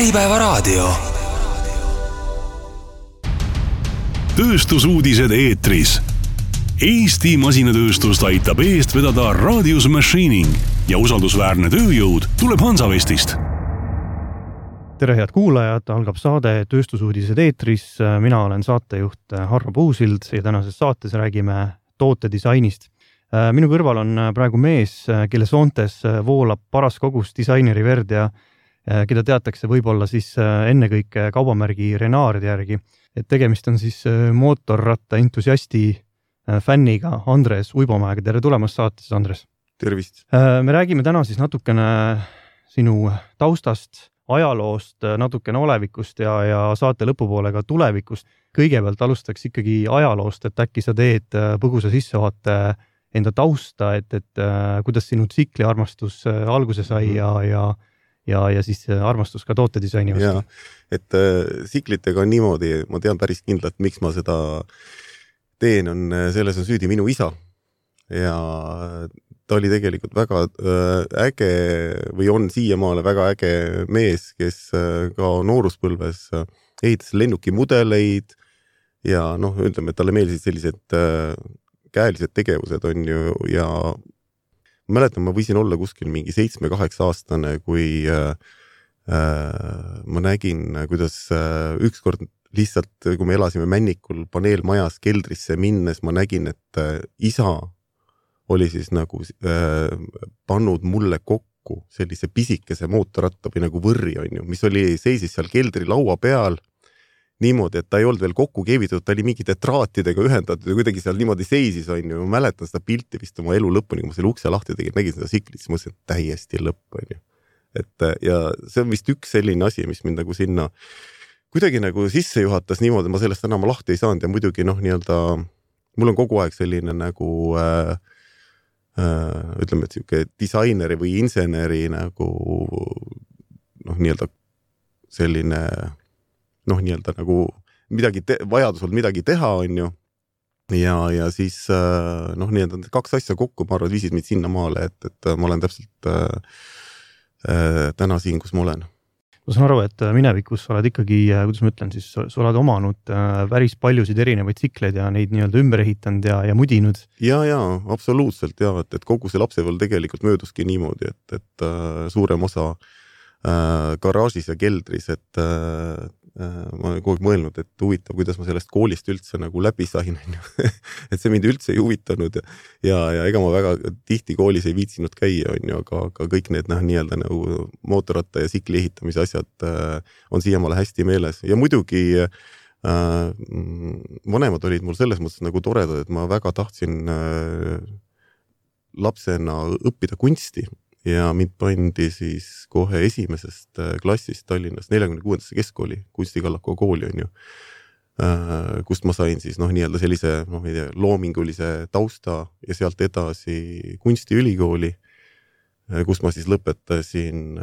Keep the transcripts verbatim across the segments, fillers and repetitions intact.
Äripäevaraadio. Tööstusuudised eetris. Eesti masinatööstust aitab eest vedada Radius Machining ja usaldusväärne tööjõud tuleb Hansavestist. Tere head kuulajad, algab saade Tööstusuudised eetris. Mina olen saatejuht Harro Puusild ja tänases saates räägime tootedisainist. Minu kõrval on praegu mees, kelle soontes voolab paras kogus disaineri verd ja keda teatakse võib-olla siis ennekõike kaubamärgi Renaardi järgi. Et tegemist on siis mootorratta entusiasti fänniga Andres Uibomäega. Tere tulemast saates, Andres. Tervist. Me räägime täna siis natukene sinu taustast, ajaloost, natukene olevikust ja, ja saate lõpupoole ka tulevikust. Kõigepealt alustaks ikkagi ajaloost, et äkki sa teed põgusa sissevaate enda tausta, et, et kuidas sinu tsikli armastus alguse sai ja, ja Ja, ja siis armastus ka tootedisaini vastu. Ja, et äh, siklitega on niimoodi, ma tean päris kindlalt, miks ma seda teen, on, selles on süüdi minu isa. Ja ta oli tegelikult väga äh, äge või on siiamaale väga äge mees, kes äh, ka nooruspõlves äh, ehitas lennukimudeleid ja noh, ütleme, et talle meeldisid sellised äh, käelised tegevused on ju ja ma mäletan, ma võisin olla kuskil mingi seitsme-kaheksa aastane, kui äh, äh, ma nägin, kuidas äh, ükskord lihtsalt, kui me elasime Männikul paneelmajas keldrisse minnes, ma nägin, et äh, isa oli siis nagu äh, pannud mulle kokku sellise pisikese mootorratta või nagu võrri, on ju, mis oli seisis seal keldri laua peal niimoodi, et ta ei olnud veel kokku keevitud, ta oli mingite traatidega ühendatud ja kuidagi seal niimoodi seisis, on ju. Ma mäletan seda pilti vist oma elu lõpuni, kui ma selle ukse lahti tegin, nägin seda siklit, siis mõtlesin, et täiesti lõpp, on ju. Et, ja see on vist üks selline asi, mis mind nagu sinna kuidagi nagu sisse juhatas niimoodi, ma sellest enam lahti ei saanud ja muidugi noh, nii-öelda, mul on kogu aeg selline nagu äh, äh, ütleme, et siuke disaineri või inseneri nagu noh, nii-öelda selline noh, nii-öelda nagu midagi te- vajadusel midagi teha, on ju. Ja, ja siis noh, nii-öelda kaks asja kokku, ma arvan, viisid mind sinna maale, et, et ma olen täpselt äh, täna siin, kus ma olen. Ma saan aru, et minevikus sa oled ikkagi, kuidas ma ütlen, siis sa oled omanud päris paljusid erinevaid tsikleid ja neid nii-öelda ümber ehitanud ja, ja mudinud. Ja, ja, absoluutselt, ja, et, et kogu see lapsepõlv tegelikult mööduski niimoodi, et, et äh, suurem osa äh, garaažis ja keldris, et äh, ma olen kogu aeg mõelnud, et huvitav, kuidas ma sellest koolist üldse nagu läbi sain, et see mind üldse ei huvitanud ja, ja, ja ega ma väga tihti koolis ei viitsinud käia, on ju, aga, aga kõik need noh, nii-öelda nagu mootorratta ja sikli ehitamise asjad äh, on siiamaale hästi meeles ja muidugi äh, vanemad olid mul selles mõttes nagu toredad, et ma väga tahtsin äh, lapsena õppida kunsti ja mind pandi siis kohe esimesest klassist Tallinnas neljakümne kuuendasse keskkooli, Kunstikallaku kooli on ju, kust ma sain siis noh, nii-öelda sellise noh, ei tea, loomingulise tausta ja sealt edasi kunstiülikooli, kus ma siis lõpetasin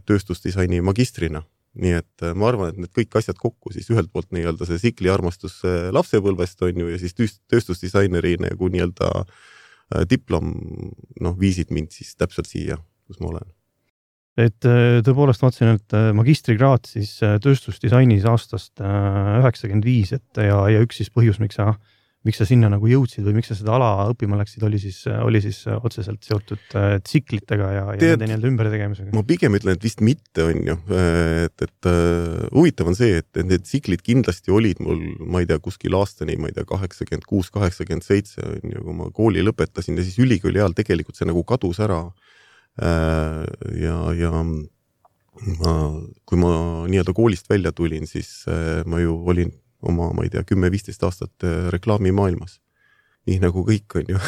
tööstusdisaini magistrina. Nii et ma arvan, et need kõik asjad kokku siis ühelt poolt nii-öelda see sikli armastus lapsepõlvest on ju ja siis tööstusdisaineri nagu nii-öelda diplom noh, viisid mind siis täpselt siia, kus ma olen. Et tõepoolest vaatasin, et magistrikraad siis tööstusdisainis aastast üheksakümmend viis et, ja, ja üks siis põhjus, miks sa, miks sa sinna nagu jõudsid või miks sa seda ala õppima läksid, oli siis, oli siis otseselt seotud tsiklitega ja, ja Teed, nende nii-öelda ümbertegemisega. Ma pigem ütlen, et vist mitte on ju, et, et uh, huvitav on see, et, et need tsiklid kindlasti olid mul, ma ei tea, kuskil aastani, ma ei tea, kaheksakümmend kuus kaheksakümmend seitse on ju, kui ma kooli lõpetasin ja siis ülikooli ajal tegelikult see nagu kadus ära uh, ja, ja ma, kui ma nii-öelda koolist välja tulin, siis uh, ma ju olin oma, ma ei tea, kümme-viisteist aastat reklaamimaailmas. Nii nagu kõik on ju.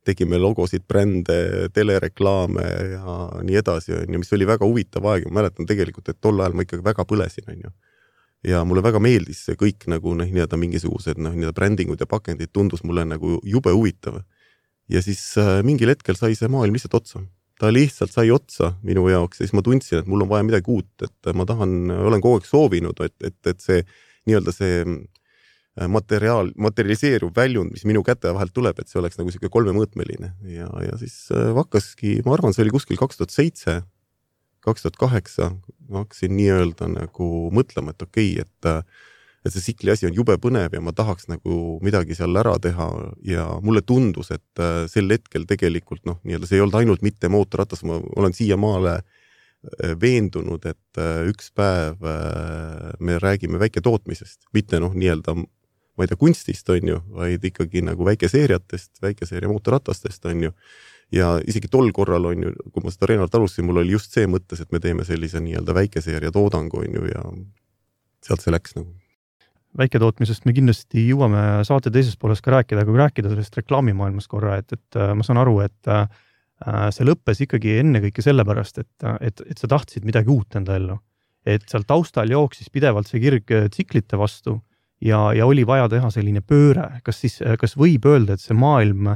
Tegime logosid, brände, telereklaame ja nii edasi, on ju, mis oli väga huvitav aeg. Ma mäletan tegelikult, et tol ajal ma ikkagi väga põlesin, on ju. Ja mulle väga meeldis see kõik nagu noh, nii-öelda mingisugused noh, nii-öelda brändingud ja pakendid tundus mulle nagu jube huvitav. Ja siis äh, mingil hetkel sai see maailm lihtsalt otsa. Ta lihtsalt sai otsa minu jaoks ja siis ma tundsin, et mul on vaja midagi uut, et ma tahan, olen kogu aeg soovinud, et, et, et see nii-öelda see materiaal, materialiseeruv väljund, mis minu käte vahelt tuleb, et see oleks nagu siuke kolmemõõtmeline ja, ja siis hakkaski, ma arvan, see oli kuskil kaks tuhat seitse kaks tuhat kaheksa ma hakkasin nii-öelda nagu mõtlema, et okei, okay, et, et see sikli asi on jube põnev ja ma tahaks nagu midagi seal ära teha ja mulle tundus, et sel hetkel tegelikult noh, nii-öelda see ei olnud ainult mitte mootorratas, ma olen siiamaale veendunud, et üks päev me räägime väiketootmisest, mitte noh, nii-öelda ma ei tea, kunstist on ju, vaid ikkagi nagu väikeseeriatest, väikeseeria mootorratastest on ju. Ja isegi tol korral on ju, kui ma seda Renalt alustasin, mul oli just see mõttes, et me teeme sellise nii-öelda väikeseeria toodangu on ju ja sealt see läks nagu. Väiketootmisest me kindlasti jõuame saate teises pooles ka rääkida, kui rääkida sellest reklaamimaailmas korra, et, et ma saan aru, et see lõppes ikkagi enne kõike sellepärast, et, et, et sa tahtsid midagi uut enda ellu. Et seal taustal jooksis pidevalt see kirg tsiklite vastu ja, ja oli vaja teha selline pööre. Kas siis, kas võib öelda, et see maailm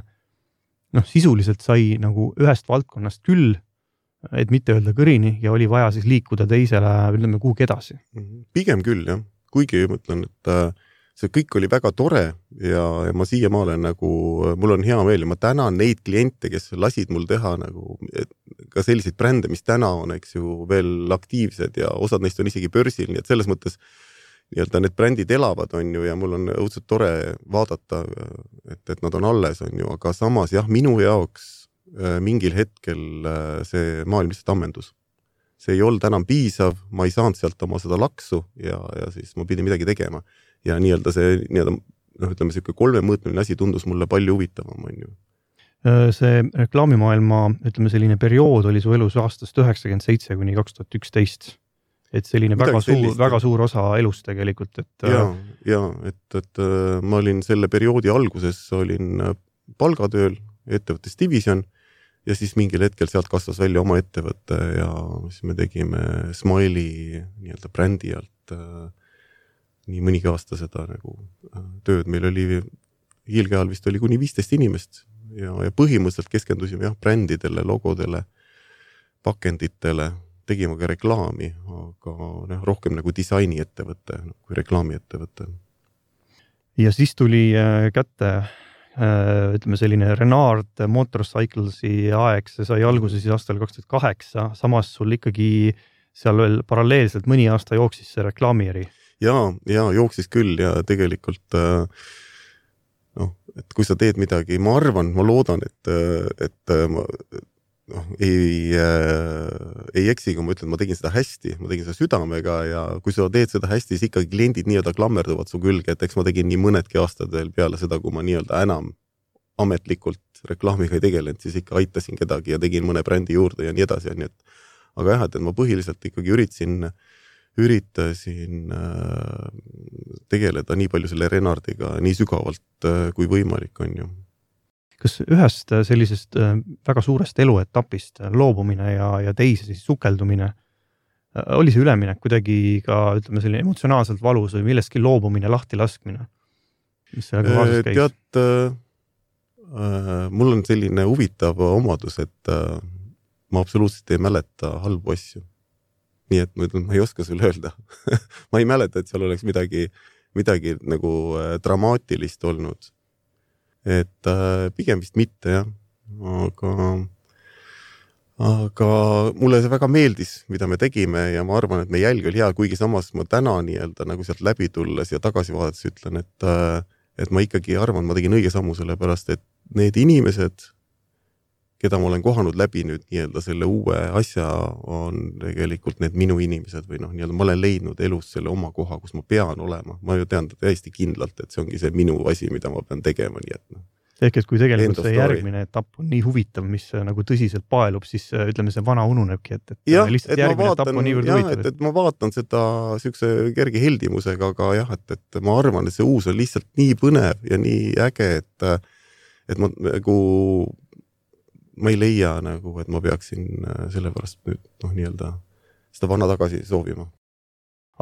noh, sisuliselt sai nagu ühest valdkonnast küll, et mitte öelda kõrini ja oli vaja siis liikuda teisele, ütleme, kuhugi edasi? Pigem küll, jah. Kuigi mõtlen, et see kõik oli väga tore ja, ja ma siiamaale nagu, mul on hea meel ja ma tänan neid kliente, kes lasid mul teha nagu ka selliseid brände, mis täna on, eks ju, veel aktiivsed ja osad neist on isegi börsil, nii et selles mõttes nii-öelda need brändid elavad, on ju, ja mul on õudselt tore vaadata, et, et nad on alles, on ju, aga samas jah, minu jaoks mingil hetkel see maailm lihtsalt ammendus. See ei olnud enam piisav, ma ei saanud sealt oma seda laksu ja, ja siis ma pidin midagi tegema. Ja nii-öelda see, nii-öelda, noh, ütleme, see kolmemõõtmeline asi tundus mulle palju huvitavam, on ju. See reklaamimaailma, ütleme, selline periood oli su elus aastast üheksakümmend seitse kuni kaks tuhat üksteist. Et selline väga suur, väga suur osa elust tegelikult. Et, ja, ja et, et ma olin selle perioodi alguses, olin palgatööl ettevõttes Division ja siis mingil hetkel sealt kasvas välja oma ettevõtte ja siis me tegime Smiley nii-öelda brändi alt nii mõnigi aasta seda nagu tööd. Meil oli hiilge ajal vist oli kuni viisteist inimest ja, ja põhimõtteliselt keskendusime jah, brändidele, logodele, pakenditele, tegime ka reklaami, aga ne, rohkem nagu disaini ettevõtte kui reklaami ettevõtte. Ja siis tuli kätte, ütleme selline Renard Motorcyclesi aeg, see sai alguse siis aastal kaks tuhat kaheksa, samas sul ikkagi seal veel paralleelselt mõni aasta jooksis see reklaamieri. Ja, ja jooksis küll ja tegelikult noh, et kui sa teed midagi, ma arvan, ma loodan, et, et ma noh, ei, ei eksi, kui ma ütlen, ma tegin seda hästi, ma tegin seda südamega ja kui sa teed seda hästi, siis ikkagi kliendid nii-öelda klammerduvad su külge, et eks ma tegin nii mõnedki aastad veel peale seda, kui ma nii-öelda enam ametlikult reklaamiga ei tegelenud, siis ikka aitasin kedagi ja tegin mõne brändi juurde ja nii edasi. Ja nii et, aga jah, et ma põhiliselt ikkagi üritasin üritasin tegeleda nii palju selle Renardiga nii sügavalt kui võimalik on ju. Kas ühest sellisest väga suurest eluetapist loobumine ja, ja teise siis sukeldumine, oli see üleminek kuidagi ka, ütleme, selline emotsionaalselt valus või millestki loobumine, lahti laskmine? Mis sellega kaasas käis? Tead, äh, mul on selline huvitav omadus, et äh, ma absoluutselt ei mäleta halbu asju. Nii et ma, ütlen, ma ei oska sulle öelda. Ma ei mäleta, et seal oleks midagi, midagi nagu dramaatilist olnud. Et äh, pigem vist mitte, jah. Aga, aga mulle see väga meeldis, mida me tegime ja ma arvan, et me jälg oli hea, kuigi samas ma täna nii-öelda nagu sealt läbi tulles ja tagasi vaadates ütlen, et, äh, et ma ikkagi arvan, ma tegin õige sammu selle pärast, et need inimesed, keda ma olen kohanud läbi nüüd nii-öelda selle uue asja, on tegelikult need minu inimesed või noh, nii-öelda ma olen leidnud elus selle oma koha, kus ma pean olema. Ma ju tean täiesti kindlalt, et see ongi see minu asi, mida ma pean tegema, nii et noh. Ehk et kui tegelikult see järgmine etapp on nii huvitav, mis nagu tõsiselt paelub, siis ütleme, see vana ununebki, et, et ja, lihtsalt et järgmine vaatan, etapp on niivõrd jah, huvitav. Et, et ma vaatan seda sükse kerge heldimusega, aga jah, et, et ma arvan, et see uus on lihtsalt nii põnev ja nii äge, et, et ma nagu ma ei leia nagu, et ma peaksin selle pärast nüüd noh, nii-öelda seda vana tagasi soovima.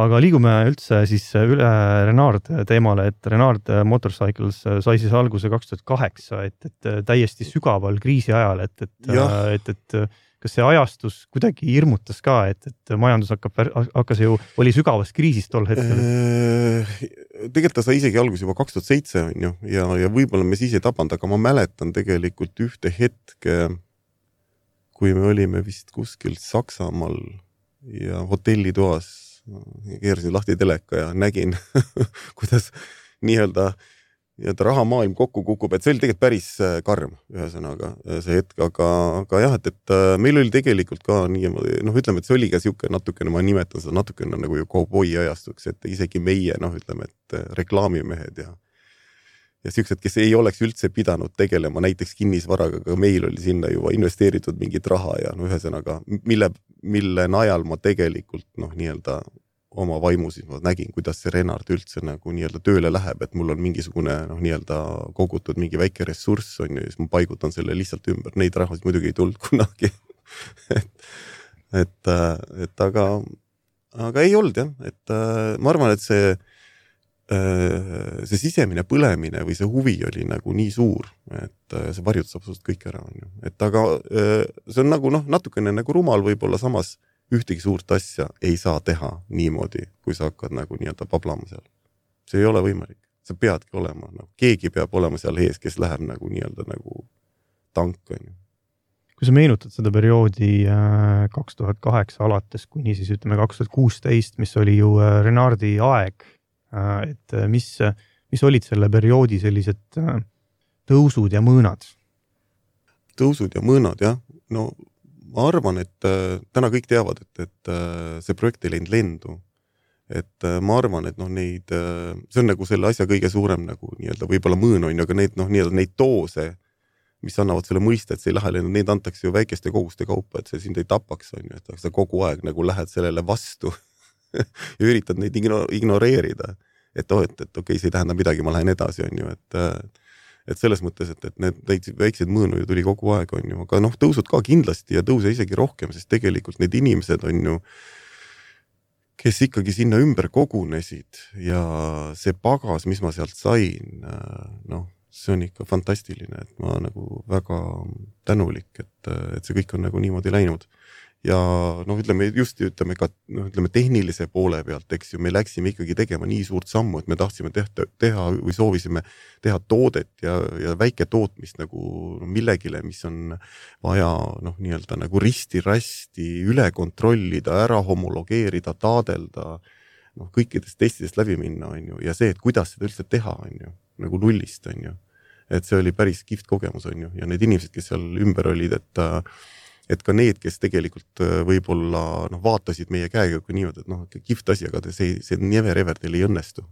Aga liigume üldse siis üle Renard teemale, et Renard Motorcycles sai siis alguse kaks tuhat kaheksa, et, et täiesti sügaval kriisi ajal, et, et, et, et kas see ajastus kuidagi hirmutas ka, et, et majandus hakkab, hakkas ju, oli sügavas kriisis tol hetkel? Tegelikult ta sai isegi algus juba kaks tuhat seitse on ju, ja, ja võib-olla me siis ei tabanud, aga ma mäletan tegelikult ühte hetke, kui me olime vist kuskil Saksamaal ja hotellitoas, keerasin lahti teleka ja nägin, kuidas nii-öelda nii-öelda rahamaailm kokku kukub, et see oli tegelikult päris karm ühesõnaga see hetk, aga, aga jah, et, et meil oli tegelikult ka niimoodi, noh ütleme, et see oli ka siuke natukene, ma nimetan seda natukene nagu ju cowboy ajastuks, et isegi meie, noh ütleme, et reklaamimehed ja ja siuksed, kes ei oleks üldse pidanud tegelema näiteks kinnisvaraga, aga meil oli sinna juba investeeritud mingit raha ja no ühesõnaga, mille, mille najal ma tegelikult noh nii-öelda oma vaimu siis ma nägin, kuidas see Renard üldse nagu nii-öelda tööle läheb, et mul on mingisugune noh nii-öelda kogutud mingi väike ressurss on ju, ja siis ma paigutan selle lihtsalt ümber, neid rahas muidugi ei tulnud kunagi et, et, et aga, aga ei olnud jah, et ma arvan, et see see sisemine põlemine või see huvi oli nagu nii suur, et see varjutas absoluutselt kõik ära on ju. Et aga see on nagu noh, natukene nagu rumal võib-olla samas ühtegi suurt asja ei saa teha niimoodi, kui sa hakkad nagu nii-öelda pablama seal. See ei ole võimalik. Sa peadki olema, no, keegi peab olema seal ees, kes läheb nagu nii-öelda nagu tank on ju. Kui sa meenutad seda perioodi kaks tuhat kaheksa alates kuni siis ütleme kaks tuhat kuusteist, mis oli ju Renardi aeg, et mis, mis olid selle perioodi sellised tõusud ja mõõnad? Tõusud ja mõõnad, jah. No ma arvan, et täna kõik teavad, et, et see projekt ei läinud lendu. Et ma arvan, et noh, neid, see on nagu selle asja kõige suurem nagu nii-öelda võib-olla mõõn on, aga neid, noh, nii-öelda neid doose, mis annavad selle mõiste, et see ei lähe lendu, neid antakse ju väikeste koguste kaupa, et see sind ei tapaks on ju, et sa kogu aeg nagu lähed sellele vastu ja üritad neid ignoreerida, et oh, et, et okei, see ei tähenda midagi, ma lähen edasi, on ju, et, et selles mõttes, et, et need, neid väikseid mõõnu ju tuli kogu aeg, on ju, aga noh, tõusud ka kindlasti ja tõuse isegi rohkem, sest tegelikult need inimesed on ju, kes ikkagi sinna ümber kogunesid ja see pagas, mis ma sealt sain, noh, see on ikka fantastiline, et ma nagu väga tänulik, et, et see kõik on nagu niimoodi läinud. Ja noh, ütleme just ütleme ka noh, ütleme tehnilise poole pealt, eks ju, me läksime ikkagi tegema nii suurt sammu, et me tahtsime teha, teha või soovisime teha toodet ja, ja väike tootmist nagu no, millegile, mis on vaja noh, nii-öelda nagu risti-rasti üle kontrollida, ära homologeerida, taadelda, noh, kõikidest testidest läbi minna, on ju, ja see, et kuidas seda üldse teha, on ju, nagu nullist, on ju, et see oli päris kihvt kogemus, on ju, ja need inimesed, kes seal ümber olid, et et ka need, kes tegelikult võib-olla noh, vaatasid meie käega kui niimoodi, et noh, kihvt asi, aga see, see never ever teil ei õnnestu.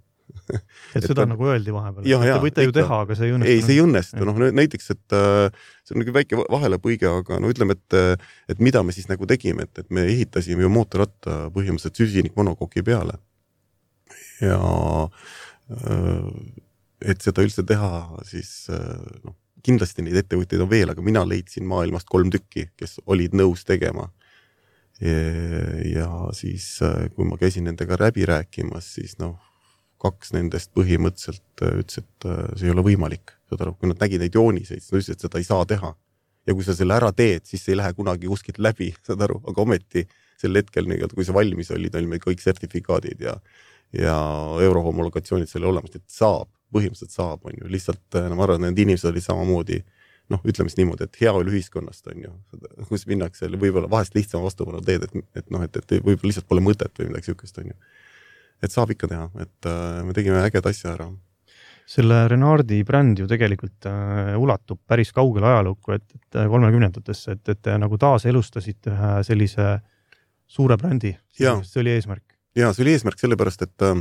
et seda et, nagu öeldi vahepeal. Ja, ja, te võite ju teha, aga see ei õnnestu. Ei, see ei õnnestu. Noh, näiteks, et see on nagu väike vahelepõige, aga no ütleme, et, et mida me siis nagu tegime, et, et me ehitasime ju mootorratta põhimõtteliselt süsinik monokoki peale. Ja et seda üldse teha, siis noh, kindlasti neid ettevõtteid on veel, aga mina leidsin maailmast kolm tükki, kes olid nõus tegema. Ja siis, kui ma käisin nendega läbi rääkimas, siis noh, kaks nendest põhimõtteliselt ütles, et see ei ole võimalik. Kui nad nägid neid jooniseid, siis nad ütles, et seda ei saa teha. Ja kui sa selle ära teed, siis see ei lähe kunagi kuskilt läbi, saad aru, aga ometi sel hetkel, kui see valmis oli, olime kõik sertifikaadid ja, ja eurohomologatsioonid selle olemas, et saab. Põhimõtteliselt saab, on ju, lihtsalt no, ma arvan, et need inimesed olid samamoodi, noh, ütleme niimoodi, et heaolu ühiskonnast on ju, kus minnakse võib-olla vahest lihtsam vastupanu teed, et, et noh, et, et võib-olla lihtsalt pole mõtet või midagi sihukest on ju. Et saab ikka teha, et äh, me tegime äged asja ära. Selle Renardi bränd ju tegelikult äh, ulatub päris kaugele ajalukku, et, et kolmekümnendatesse, et, et nagu taas elustasid ühe sellise suure brändi. See oli eesmärk. Ja, see oli eesmärk sellepärast, et äh,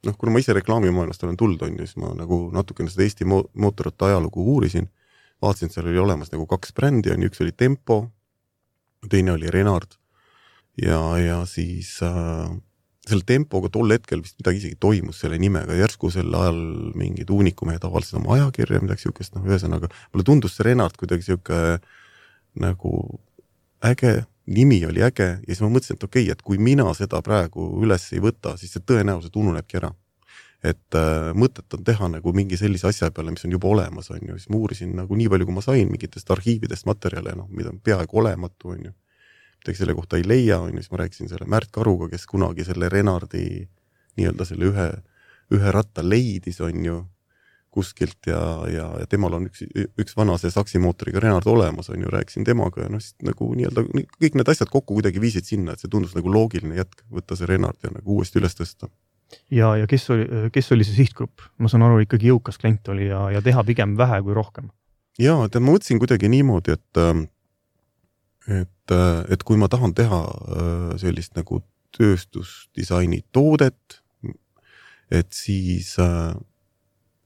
noh, kuna ma ise reklaamimaailmast olen tulnud, on ju, siis ma nagu natukene seda Eesti mootorratta ajalugu uurisin, vaatasin, seal oli olemas nagu kaks brändi, on üks oli Tempo, teine oli Renard ja, ja siis äh, selle Tempoga tol hetkel vist midagi isegi toimus selle nimega, järsku sel ajal mingid uunikumehed avaldasid oma ajakirja, midagi sihukest, noh, ühesõnaga, mulle tundus see Renard kuidagi sihuke nagu äge, nimi oli äge ja siis ma mõtlesin, et okei, et kui mina seda praegu üles ei võta, siis see tõenäoliselt ununebki ära. Et äh, mõtet on teha nagu mingi sellise asja peale, mis on juba olemas, on ju. Siis ma uurisin nagu nii palju, kui ma sain mingitest arhiividest materjale, noh, mida on peaaegu olematu, on ju. Midagi selle kohta ei leia, on ju, siis ma rääkisin selle Märt Karuga, kes kunagi selle Renardi nii-öelda selle ühe, ühe ratta leidis, on ju, kuskilt ja, ja, ja temal on üks, üks vana see saksimootoriga Renard olemas, on ju, rääkisin temaga ja noh, siis nagu nii-öelda kõik need asjad kokku kuidagi viisid sinna, et see tundus nagu loogiline jätk, võtta see Renard ja nagu uuesti üles tõsta. Ja, ja kes oli, kes oli see sihtgrupp? Ma saan aru, ikkagi jõukas klient oli ja, ja teha pigem vähe kui rohkem. Ja, et ma mõtlesin kuidagi niimoodi, et et, et kui ma tahan teha sellist nagu tööstusdisaini toodet, et siis äh,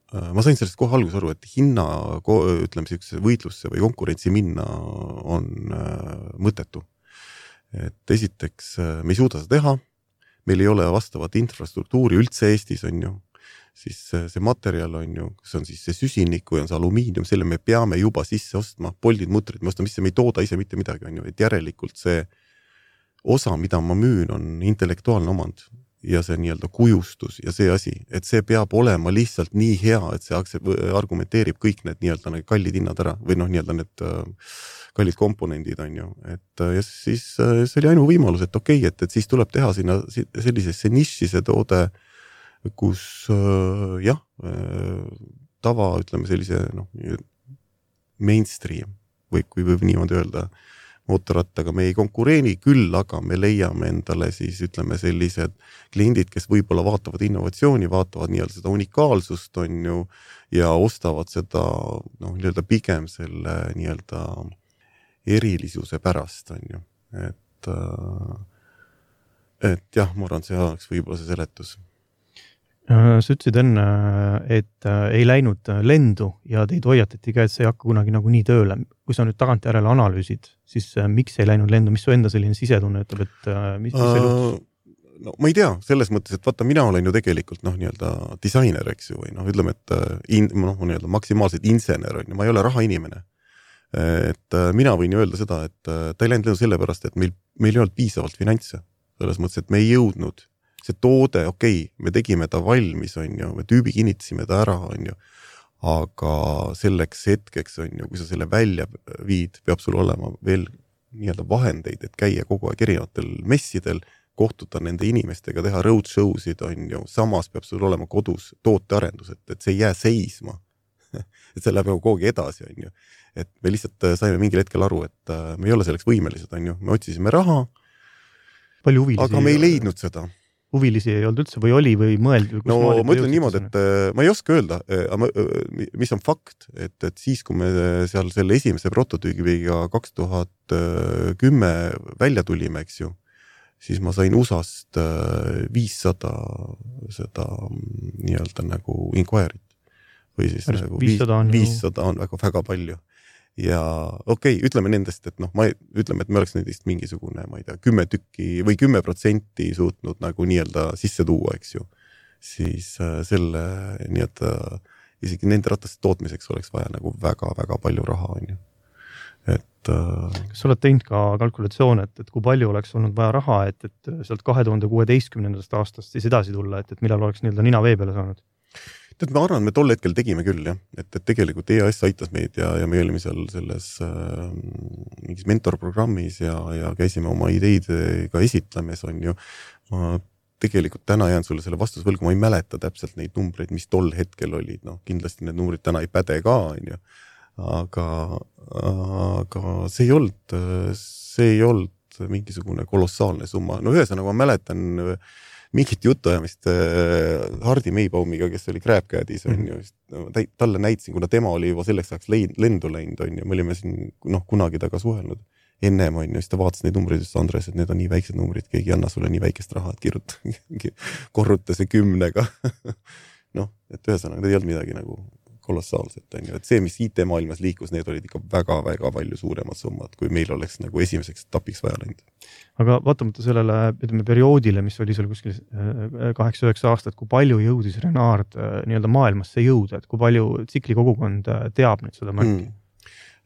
ma sain sellest kohe alguses aru, et hinna, ütleme sellise võitlusse või konkurentsi minna on äh, mõttetu. Et esiteks me ei suuda seda teha, meil ei ole vastavat infrastruktuuri üldse Eestis, on ju, siis see materjal on ju, kus on siis see süsinik või on see alumiinium, selle me peame juba sisse ostma, poldid, mutrid, me ostame sisse, me ei tooda ise mitte midagi, on ju, et järelikult see osa, mida ma müün, on intellektuaalne omand ja see nii-öelda kujustus ja see asi, et see peab olema lihtsalt nii hea, et see argumenteerib kõik need nii-öelda need kallid hinnad ära või noh, nii-öelda need kallid komponendid on ju, et ja siis see oli ainu võimalus, et okei, okay, et, et siis tuleb teha sinna sellisesse niši see toode, kus jah, tava, ütleme sellise noh, mainstream või kui võib niimoodi öelda, mootorrattaga me ei konkureeni, küll aga me leiame endale siis ütleme sellised kliendid, kes võib-olla vaatavad innovatsiooni, vaatavad nii-öelda seda unikaalsust on ju ja ostavad seda noh, nii-öelda pigem selle nii-öelda erilisuse pärast on ju, et et jah, ma arvan, see oleks võib-olla see seletus. Sa ütlesid enne, et ei läinud lendu ja teid hoiatati ka, et see ei hakka kunagi nagu nii tööle. Kui sa nüüd tagant järele analüüsid, siis miks ei läinud lendu? Mis su enda selline sisetunne ütleb, et mis, mis see luhtus? No ma ei tea, selles mõttes, et vaata, mina olen ju tegelikult noh, nii-öelda disainer, eks ju, või noh, ütleme, et in, noh, nii-öelda maksimaalselt insener on ju, ma ei ole raha inimene. Et mina võin ju öelda seda, et ta ei läinud lendu sellepärast, et meil, meil ei olnud piisavalt finantse. Selles mõttes, et me ei jõudnud see toode, okei, okay, me tegime ta valmis, on ju, me tüübi kinnitasime ta ära, on ju, aga selleks hetkeks, on ju, kui sa selle välja viid, peab sul olema veel nii-öelda vahendeid, et käia kogu aeg erinevatel messidel, kohtuda nende inimestega, teha roadshowsid, on ju, samas peab sul olema kodus tootearendus, et, et see ei jää seisma. Et see läheb kogu aeg edasi, on ju. Et me lihtsalt saime mingil hetkel aru, et me ei ole selleks võimelised, on ju, me otsisime raha, palju huvilisi, aga me ei leidnud seda. Huvilisi ei olnud üldse või oli või mõeldi? No ma ütlen niimoodi, et ma ei oska öelda, mis on fakt, et, et siis, kui me seal selle esimese prototüügiga kaks tuhat kümme välja tulime, eks ju, siis ma sain U S A-st viissada seda nii-öelda nagu inquiry't. Või siis Päris nagu viissada on, viissada on väga, väga palju. Ja okei, okay, ütleme nendest, et noh, ma ütleme, et me oleks nendest mingisugune, ma ei tea, kümme tükki või kümme protsenti suutnud nagu nii-öelda sisse tuua, eks ju. Siis selle nii-öelda isegi nende rataste tootmiseks oleks vaja nagu väga-väga palju raha, on ju. Et kas sa oled teinud ka kalkulatsioon, et, et kui palju oleks olnud vaja raha, et, et sealt kahe tuhande kuueteistkümnendast aastast siis edasi tulla, et, et millal oleks nii-öelda nina vee peale saanud? Tead, ma arvan, me tol hetkel tegime küll, jah. Et, et tegelikult E A S aitas meid ja, ja me olime seal selles äh, mingis mentorprogrammis ja, ja käisime oma ideid ka esitlemes, on ju. Ma tegelikult täna jään sulle selle vastusvõlgu, ma ei mäleta täpselt neid numbreid, mis tol hetkel olid. No, kindlasti need numbrid täna ei päde ka, on ju. Aga, aga see ei olnud, see ei olnud mingisugune kolossaalne summa. No ühesõnaga ma mäletan mingit jutuajamist Hardi Meibaumiga, kes oli Crabcadis, on ju, talle näitasin, kuna tema oli juba selleks ajaks lendu läinud, on ju, me olime siin noh, kunagi taga suhelnud ennem, on ju, siis ta vaatas neid numbreid, just Andres, et need on nii väiksed numbrid, keegi anna sulle nii väikest raha, et kirjuta, korruta see kümnega. Noh, et ühesõnaga, need ei olnud midagi nagu kolossaalselt, on ju, et see, mis I T-maailmas liikus, need olid ikka väga-väga palju suuremad summad, kui meil oleks nagu esimeseks tapiks vaja läinud. Aga vaatamata sellele, ütleme, perioodile, mis oli seal kuskil kaheksa üheksa aastat, kui palju jõudis Renard nii-öelda maailmasse jõuda, et kui palju tsikli kogukond teab nüüd seda märki?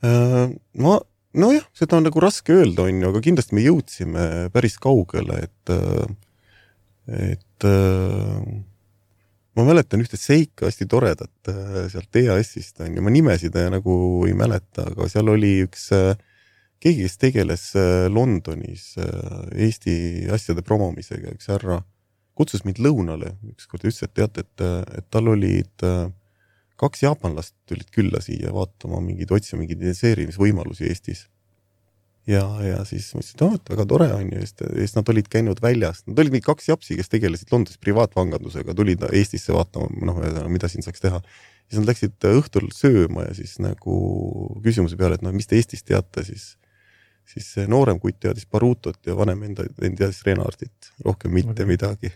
Hmm. Ma, no jah, seda on nagu raske öelda, on ju, aga kindlasti me jõudsime päris kaugele, et, et ma mäletan ühte seika hästi toredat sealt E A S-ist, on ju, ma nimesid nagu ei mäleta, aga seal oli üks keegi, kes tegeles Londonis Eesti asjade promomisega, üks härra kutsus mind lõunale, ükskord ütles, et teate, et, et tal olid kaks jaapanlast tulid külla siia vaatama mingid, otsima mingid investeerimisvõimalusi Eestis. Ja, ja siis mõtlesin, et oh, et väga tore on ju, sest nad olid käinud väljas. Nad olid mingi kaks japsi, kes tegelesid Londonis privaatvangandusega, tulid Eestisse vaatama, noh, mida siin saaks teha. Siis nad läksid õhtul sööma ja siis nagu küsimuse peale, et no mis te Eestis teate, siis, siis noorem kutt teadis Barutot ja vanem enda, enda teadis Renardit, rohkem mitte okay. midagi.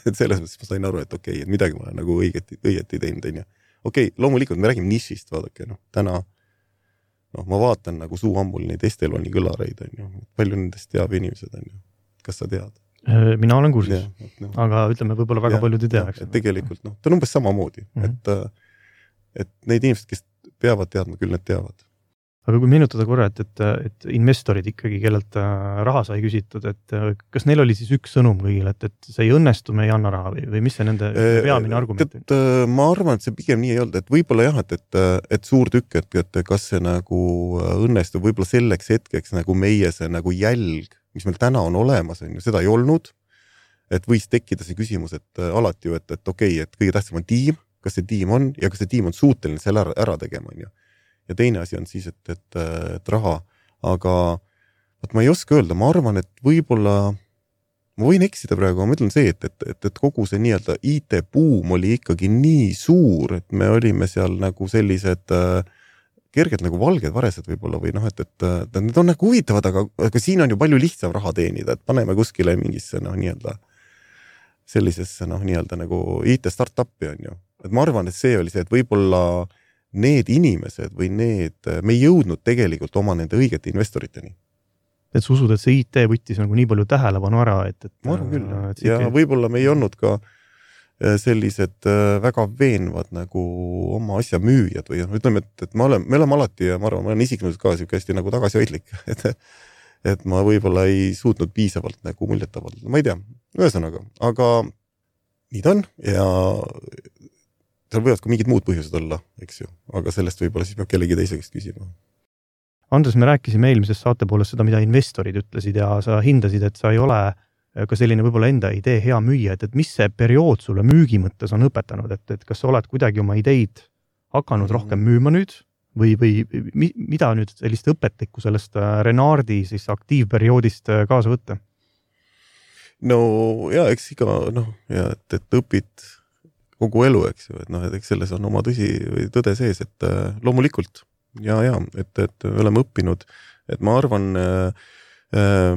Et selles mõttes ma sain aru, et okei, okay, et midagi ma olen nagu õigeti, õigeti teinud. Okei, okay, loomulikult me räägime nišist, vaadake, noh, täna noh, ma vaatan nagu suu ammul neid Esteloni kõlareid, on ju. Palju nendest teab inimesed, on ju. Kas sa tead? Mina olen kursis, no. Aga ütleme, võib-olla väga ja, paljud ei tea. Ja, tegelikult, noh, ta on umbes sama moodi, mm-hmm. et, et neid inimesed, kes peavad teadma, küll need teavad. Aga kui meenutada korra, et, et, et investorid ikkagi, kellelt raha sai küsitud, et kas neil oli siis üks sõnum kõigile, et, et see ei õnnestu, me ei anna raha või, või mis see nende peamine argument? Et, ma arvan, et see pigem nii ei olnud, et võib-olla jah, et, et, et suur tükk, et, et kas see nagu õnnestub võib-olla selleks hetkeks nagu meie see nagu jälg, mis meil täna on olemas, on ju, seda ei olnud, et võis tekkida see küsimus, et alati ju, et, et okei, okay, et kõige tähtsam on tiim, kas see tiim on ja kas see tiim on suuteline selle ära, ära tegema, on ju. Ja teine asi on siis, et, et, et raha, aga et ma ei oska öelda, ma arvan, et võib-olla, ma võin eksida praegu, ma mõtlen see, et, et, et, et kogu see nii-öelda I T-buum oli ikkagi nii suur, et me olime seal nagu sellised äh, kerged nagu valged varesed võib-olla või noh, et, et, et need on nagu huvitavad, aga, aga siin on ju palju lihtsam raha teenida, et paneme kuskile mingisse noh, nii-öelda sellisesse noh, nii-öelda nagu I T-startupi on ju. Et ma arvan, et see oli see, et võib-olla need inimesed või need, me ei jõudnud tegelikult oma nende õigete investoriteni. Et sa usud, et see I T võttis nagu nii palju tähelepanu ära, et... et ma arvan küll, et ja ei... võib-olla me ei olnud ka sellised väga veenvad nagu oma asja müüjad või ütleme, et, et me oleme, me oleme alati ja ma arvan, ma olen isiklikult ka hästi nagu tagasihoidlik, et, et ma võib-olla ei suutnud piisavalt nagu muljetavalt, ma ei tea, ühesõnaga, aga nii ta on ja seal võivad ka mingid muud põhjused olla, eks ju, aga sellest võib-olla siis peab kellegi teiseks küsima. Andres, me rääkisime eelmises saate poolest seda, mida investorid ütlesid ja sa hindasid, et sa ei ole ka selline võib-olla enda idee hea müüa, et, et mis see periood sulle müügi mõttes on õpetanud, et, et kas sa oled kuidagi oma ideid hakanud rohkem müüma nüüd või, või mida nüüd sellist õpetlikku sellest Renardi siis aktiivperioodist kaasa võtta? No ja, eks iga, noh, ja, et, et õpid kogu elu, eks ju, et noh, et eks selles on oma tõsi või tõde sees, et äh, loomulikult ja, ja, et, et me oleme õppinud, et ma arvan, äh, äh,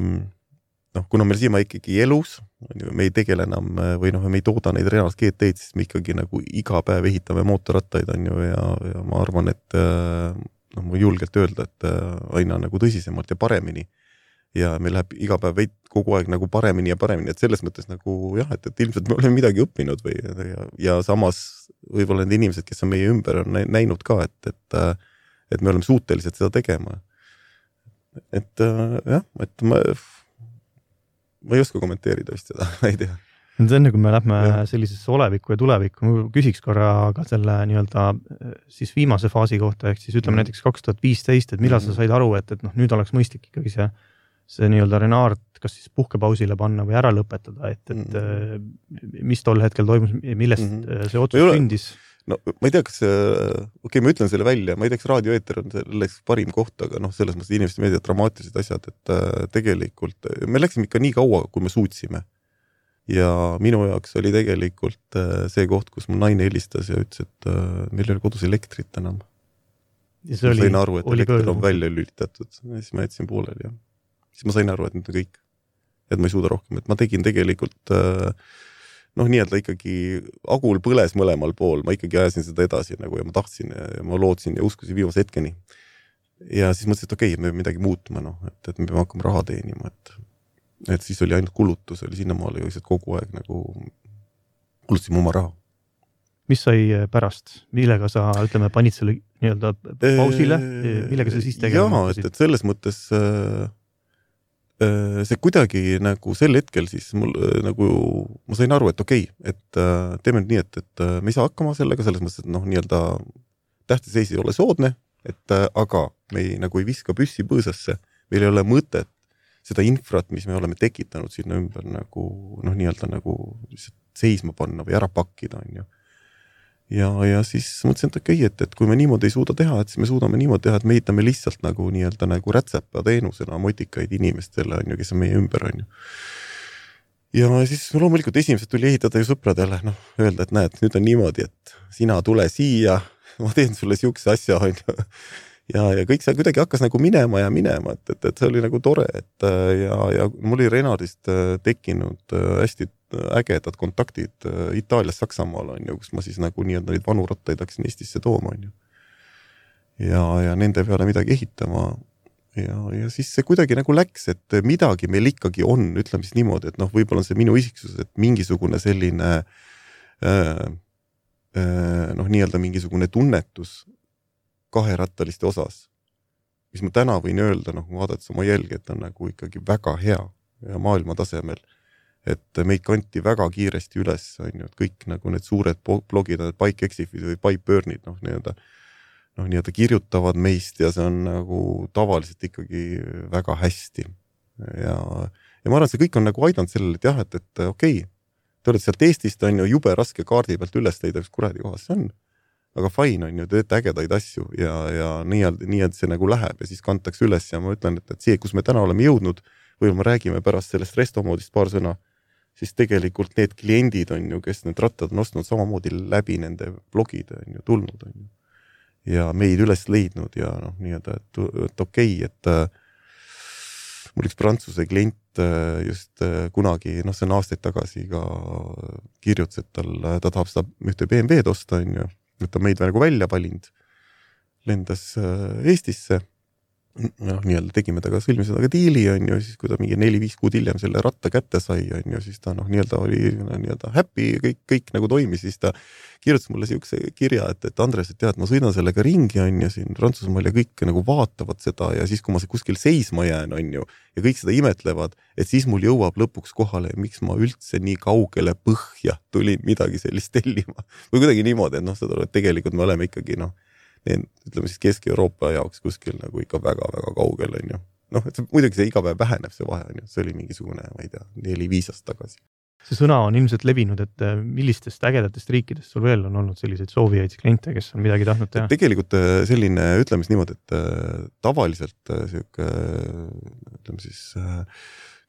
noh, kuna meil siima ikkagi elus, me ei tegele enam või noh, me ei tooda neid Renard G T-d, siis me ikkagi nagu iga päev ehitame mootorrattaid, on ju, ja, ja ma arvan, et äh, noh, ma julgelt öelda, et äh, aina nagu tõsisemalt ja paremini. Ja meil läheb iga päev veid kogu aeg nagu paremini ja paremini, et selles mõttes nagu jah, et, et ilmselt me oleme midagi õppinud või ja, ja samas võib-olla need inimesed, kes on meie ümber, on näinud ka, et, et, et me oleme suutelised seda tegema. Et jah, et ma, ma ei oska kommenteerida vist seda, ma ei tea. Enne kui me lähme ja. Sellisesse olevikku ja tulevikku, ma küsiks korra ka selle nii-öelda siis viimase faasi kohta, ehk siis ütleme mm. näiteks kaks tuhat viisteist, et millal mm. sa said aru, et, et noh, nüüd oleks mõistlik ikkagi see see nii-öelda Renard kas siis puhkepausile panna või ära lõpetada, et, et mm. mis tol hetkel toimus, millest mm. see otsus sündis? No ma ei tea, kas okei, okay, ma ütlen selle välja, ma ei tea, kas raadioeeter on selleks parim koht, aga noh, selles mõttes inimesed meediat dramaatilised asjad, et äh, tegelikult me läksime ikka nii kaua, kui me suutsime. Ja minu jaoks oli tegelikult äh, see koht, kus mu naine helistas ja ütles, et äh, meil ei ole kodus elektrit enam. Ja ma sain aru, et elekter on välja lülitatud, ja siis ma jätsin pooleli, jah. Siis ma sain aru, et nüüd on kõik, et ma ei suuda rohkem, et ma tegin tegelikult noh, nii-öelda ikkagi agul põles mõlemal pool, ma ikkagi ajasin seda edasi nagu ja ma tahtsin ja ma lootsin ja uskusin viimase hetkeni. Ja siis mõtlesin, et okei, okay, me peame midagi muutma, noh, et, et me peame hakkama raha teenima, et, et siis oli ainult kulutus, oli sinnamaale ju kogu aeg nagu kulutasime oma raha. Mis sai pärast? Millega sa, ütleme, panid selle nii-öelda pausile? Millega sa siis tegema? Jaa, et, et selles mõttes see kuidagi nagu sel hetkel siis mul nagu, ma sain aru, et okei, okay, et teeme nii, et, et me ei saa hakkama sellega, selles mõttes, et noh, nii-öelda tähteseis ei ole soodne, et aga me ei, nagu ei viska püssi põõsasse, meil ei ole mõtet seda infrat, mis me oleme tekitanud sinna ümber nagu, noh, nii-öelda nagu seisma panna või ära pakkida, on ju. ja, ja siis mõtlesin, et okei, et, et kui me niimoodi ei suuda teha, et siis me suudame niimoodi teha, et me ehitame lihtsalt nagu nii-öelda nagu rätsepa teenusena motikaid inimestele, on ju, kes on meie ümber, on ju. Ja siis loomulikult esimesed tuli ehitada ju sõpradele, noh, öelda, et näed, nüüd on niimoodi, et sina tule siia, ma teen sulle siukse asja, on ju. Ja, ja kõik see kuidagi hakkas nagu minema ja minema, et, et, et see oli nagu tore, et ja, ja mul oli Renardist tekkinud hästi ägedad kontaktid Itaalias, Saksamaal, on ju, kus ma siis nagu nii-öelda neid vanu rattaid hakkasin Eestisse tooma, on ju. Ja, ja nende peale midagi ehitama. Ja, ja siis see kuidagi nagu läks, et midagi meil ikkagi on, ütleme siis niimoodi, et noh, võib-olla on see minu isiksus, et mingisugune selline äh, äh, noh, nii-öelda mingisugune tunnetus kaherattaliste osas, mis ma täna võin öelda, noh, vaadates oma jälgi, et on nagu ikkagi väga hea ja maailma tasemel, et meid kanti väga kiiresti üles, on ju, et kõik nagu need suured blogid, need Bike-Exifid või Bike-Burnid, noh, nii-öelda noh, nii-öelda kirjutavad meist ja see on nagu tavaliselt ikkagi väga hästi. Ja, ja ma arvan, see kõik on nagu aidanud sellele, et jah, et, et okei, te olete sealt Eestist, on ju, jube raske kaardi pealt üles leida, kus kuradi kohas see on. Aga fine on ju, teete ägedaid asju ja, ja nii, nii, et see nagu läheb ja siis kantakse üles ja ma ütlen, et, et see, kus me täna oleme jõudnud, või me räägime pärast sellest restomoodist paar sõna, siis tegelikult need kliendid on ju, kes need rattad on ostnud samamoodi läbi nende blogide on ju tulnud on ju. Ja meid üles leidnud ja noh, nii-öelda, et, et okei, et äh, mul üks prantsuse klient äh, just äh, kunagi, noh see on aastaid tagasi ka kirjutas, et tal, ta tahab seda ühte B M W-d osta on ju, et ta meid nagu välja valinud, lendas äh, Eestisse, noh, nii-öelda tegime ta ka sõlmi seda ka diili, on ju, siis kui ta mingi neli-viis kuud hiljem selle ratta kätte sai, on ju, siis ta noh, nii-öelda oli nii-öelda happy, kõik, kõik nagu toimis, siis ta kirjutas mulle siukse kirja, et, et Andres, et tead, ma sõidan sellega ringi, on ju, siin Prantsusmaal ja kõik nagu vaatavad seda ja siis, kui ma kuskil seisma jään, on ju, ja kõik seda imetlevad, et siis mul jõuab lõpuks kohale, miks ma üldse nii kaugele põhja tulin midagi sellist tellima. Või kuidagi niimoodi, et noh, seda, et tegelikult me oleme ikkagi, noh, Need, ütleme siis Kesk-Euroopa jaoks kuskil nagu ikka väga-väga kaugel, on ju. Noh, et see, muidugi see iga päev väheneb see vahe, on ju. See oli mingisugune, ma ei tea, neli-viis aastat tagasi. See sõna on ilmselt levinud, et millistest ägedatest riikidest sul veel on olnud selliseid soovijaid kliente, kes on midagi tahtnud teha? Tegelikult selline, ütleme siis niimoodi, et tavaliselt siuke, ütleme siis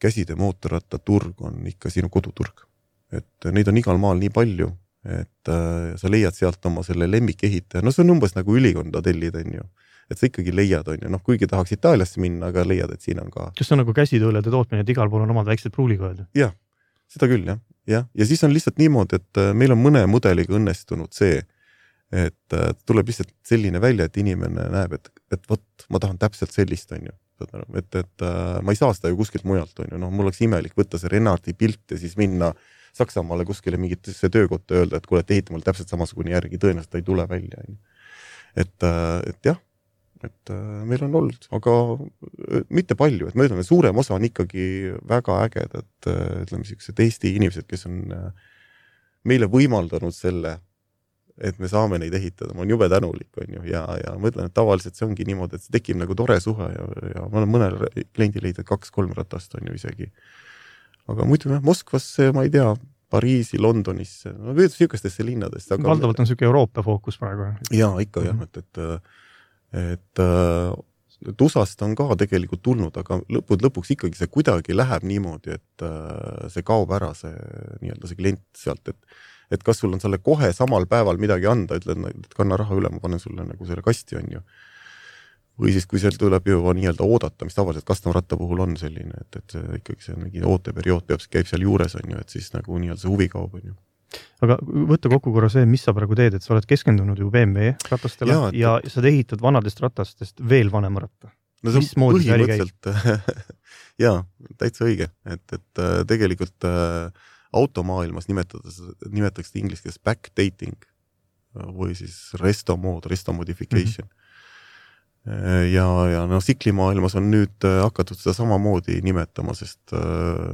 käside mootorratta turg on ikka sinu koduturg. Et neid on igal maal nii palju, et äh, sa leiad sealt oma selle lemmikehitaja, no see on umbes nagu ülikonda tellid, on ju, et sa ikkagi leiad, on ju, noh, kuigi tahaks Itaaliasse minna, aga leiad, et siin on ka. Kas see on nagu käsitöölede tootmine, et igal pool on omad väiksed pruulikojad? Jah, seda küll, jah, jah, ja siis on lihtsalt niimoodi, et meil on mõne mudeliga õnnestunud see, et äh, tuleb lihtsalt selline välja, et inimene näeb, et, et võt, ma tahan täpselt sellist, on ju, et, et äh, ma ei saa seda ju kuskilt mujalt, on ju, noh, mul oleks imelik võtta see Renardi pilt ja siis minna Saksamaale kuskile mingitesse töökotta öelda, et kuule, et ehita mul täpselt samasugune järgi, tõenäoliselt ta ei tule välja. Et, et jah, et meil on olnud, aga mitte palju, et ma ütlen, et suurem osa on ikkagi väga ägedad, ütleme siuksed Eesti inimesed, kes on meile võimaldanud selle, et me saame neid ehitada, ma olen jube tänulik, on ju, ja, ja ma ütlen, et tavaliselt see ongi niimoodi, et see tekib nagu tore suhe ja, ja ma olen mõnel kliendi leidnud kaks-kolm ratast, on ju isegi. Aga muidu jah, Moskvasse, ma ei tea, Pariisi, Londonisse, no võidu siukestesse linnadest. Aga... Valdavalt on siuke Euroopa fookus praegu. Jaa, ikka jah, et, et, et, et U S A-st on ka tegelikult tulnud, aga lõpud lõpuks ikkagi see kuidagi läheb niimoodi, et see kaob ära see, nii-öelda see klient sealt, et, et kas sul on selle kohe samal päeval midagi anda, ütled, et kanna raha üle, ma panen sulle nagu selle kasti, on ju. Või siis, kui seal tuleb juba nii-öelda oodata, mis tavaliselt custom-ratta puhul on selline, et, et see, ikkagi see mingi ooteperiood peab, käib seal juures, on ju, et siis nagu nii-öelda see huvi kaob, on ju. Aga võtta kokku korra see, mis sa praegu teed, et sa oled keskendunud ju B M W ratastele ja, ja et... sa ehitad vanadest ratastest veel vanema ratta. No see on põhimõtteliselt, jaa, täitsa õige, et, et tegelikult automaailmas nimetatakse, nimetatakse inglise keeles backdating või siis resto mode, resto modification. Mm-hmm. Ja, ja no siklimaailmas on nüüd hakatud seda samamoodi nimetama, sest